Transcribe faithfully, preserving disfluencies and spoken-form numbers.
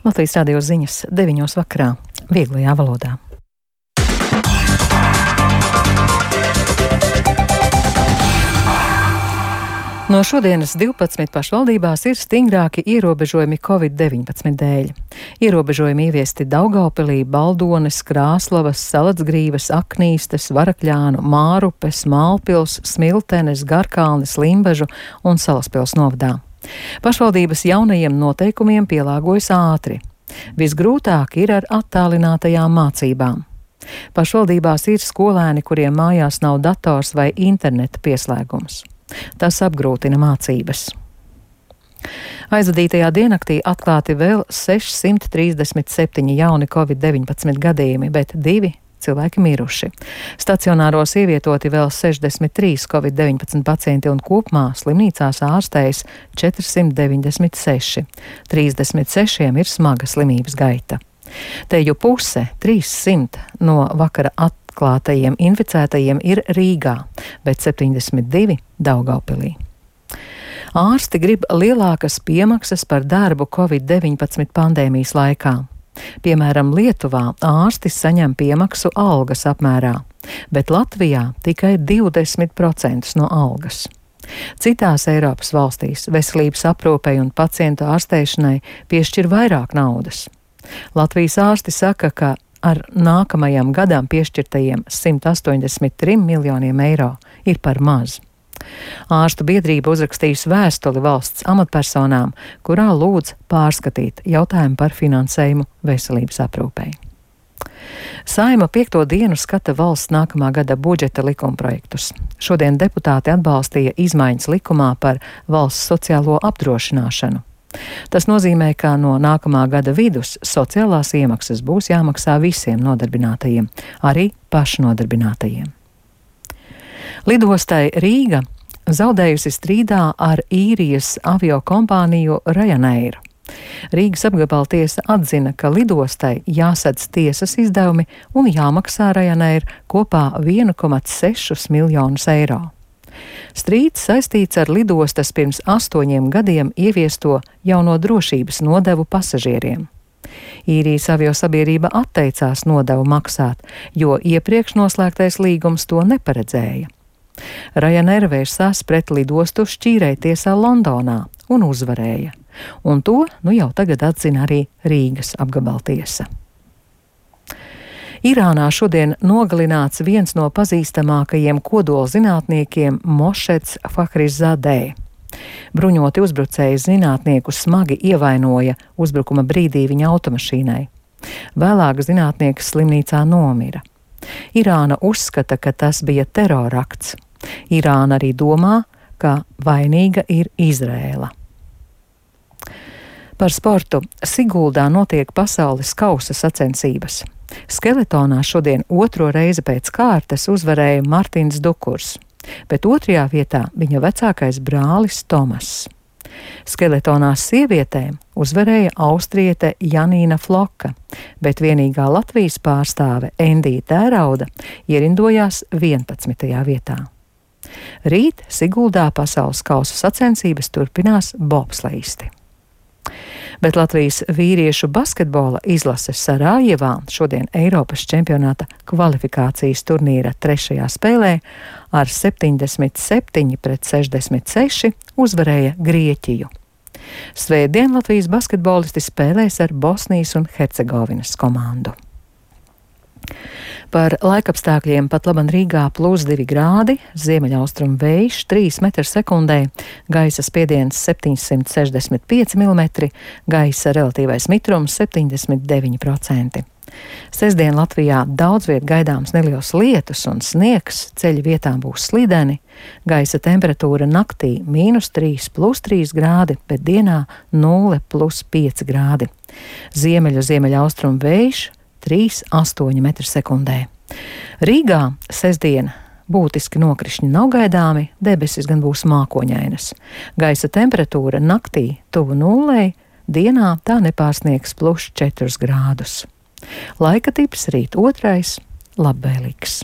Latvijas radio ziņas deviņos vakarā, vieglajā valodā. No šodienas divpadsmit pašvaldībās ir stingrāki ierobežojumi covid deviņpadsmit dēļ. Ierobežojumi ieviesti Daugavpilī, Baldones, Krāslavas, Salatsgrīvas, Aknīstes, Varakļānu, Mārupes, Mālpils, Smiltenes, Garkalnes, Limbažu un Salaspils novadā. Pašvaldības jaunajiem noteikumiem pielāgojas ātri. Visgrūtāk ir ar attālinātajām mācībām. Pašvaldībās ir skolēni, kuriem mājās nav dators vai interneta pieslēgums. Tas apgrūtina mācības. Aizvadītajā diennaktī atklāti vēl sešsimt trīsdesmit septiņi jauni covid deviņpadsmit gadījumi, bet divi cilvēki miruši. Stacionāros ievietoti vēl sešdesmit trīs covid deviņpadsmit pacienti un kopumā slimnīcās ārstējas četrsimt deviņdesmit seši. trīsdesmit sešiem ir smaga slimības gaita. Teju puse, trīssimt no vakara atklātajiem Klātajiem inficētajiem ir Rīgā, bet septiņdesmit divi Daugavpilī. Ārsti grib lielākas piemaksas par darbu covid deviņpadsmit pandēmijas laikā. Piemēram, Lietuvā ārsti saņem piemaksu algas apmērā, bet Latvijā tikai divdesmit procenti no algas. Citās Eiropas valstīs veselības aprūpei un pacientu ārstēšanai piešķir vairāk naudas. Latvijas ārsti saka, ka ar nākamajam gadam piešķirtajiem simt astoņdesmit trim miljoniem eiro ir par maz. Ārstu biedrība uzrakstījusi vēstuli valsts amatpersonām, kurā lūdz pārskatīt jautājumu par finansējumu veselības aprūpei. Saeima piekto dienu skata valsts nākamā gada budžeta likumprojektus. Šodien deputāti atbalstīja izmaiņas likumā par valsts sociālo apdrošināšanu. Tas nozīmē, ka no nākamā gada vidus sociālās iemaksas būs jāmaksā visiem nodarbinātajiem, arī pašnodarbinātajiem. Lidostai Rīga zaudējusi strīdā ar īrijas aviokompāniju Ryanair. Rīgas apgabala tiesa atzina, ka lidostai jāsadz tiesas izdevumi un jāmaksā Ryanair kopā viens komats seši miljonus eiro. Strīds saistīts ar lidostas pirms astoņiem gadiem ieviesto jauno drošības nodevu pasažieriem. Īrijas aviosabiedrība atteicās nodevu maksāt, jo iepriekš noslēgtais līgums to neparedzēja. Ryanair vērsās pret lidostu šķīrējtiesā Londonā un uzvarēja, un to nu jau tagad atzina arī Rīgas apgabala tiesa. Irānā šodien nogalināts viens no pazīstamākajiem kodolzinātniekiem Mošeds Fahrizadeh. Bruņoti uzbrucēji zinātnieku smagi ievainoja uzbrukuma brīdī viņa automašīnai. Vēlāk zinātnieks slimnīcā nomira. Irāna uzskata, ka tas bija terorakts. Irāna arī domā, ka vainīga ir Izrēla. Par sportu. Siguldā notiek pasaules kausa sacensības. Skeletonā šodien otro reizi pēc kārtas uzvarēja Martins Dukurs, bet otrajā vietā viņa vecākais brālis Tomas. Skeletonā sievietēm uzvarēja austriete Janīna Floka, bet vienīgā Latvijas pārstāve Endija Tērauda ierindojās vienpadsmitajā vietā. Rīt Siguldā pasaules kausa sacensības turpinās bobsleisti. Bet Latvijas vīriešu basketbola izlase Sarajevā šodien Eiropas čempionāta kvalifikācijas turnīra trešajā spēlē ar septiņdesmit septiņi pret sešdesmit seši uzvarēja Grieķiju. Svētdien Latvijas basketbolisti spēlēs ar Bosnijas un Hercegovinas komandu. Par laikapstākļiem pat laban Rīgā plus divi grādi, ziemeļaustrumu vējš trīs metri sekundē, gaisa spiediens septiņsimt sešdesmit pieci milimetri, gaisa relatīvais mitrums septiņdesmit deviņi procenti. Sestdien Latvijā daudz viet gaidāms neliels lietus un sniegs, ceļi vietām būs slideni, gaisa temperatūra naktī mīnus trīs plus trīs grādi, bet dienā nulle plus pieci grādi. Ziemeļu ziemeļaustrumu vējš trīs astoņi metri sekundē. Rīgā sestdien būtiski nokrišņi nav gaidāmi, debesis gan būs mākoņainas. Gaisa temperatūra naktī tuvu nullei, dienā tā nepārsniegs plus četrus grādus. Laika tips rīt otrais, labvēlīgs.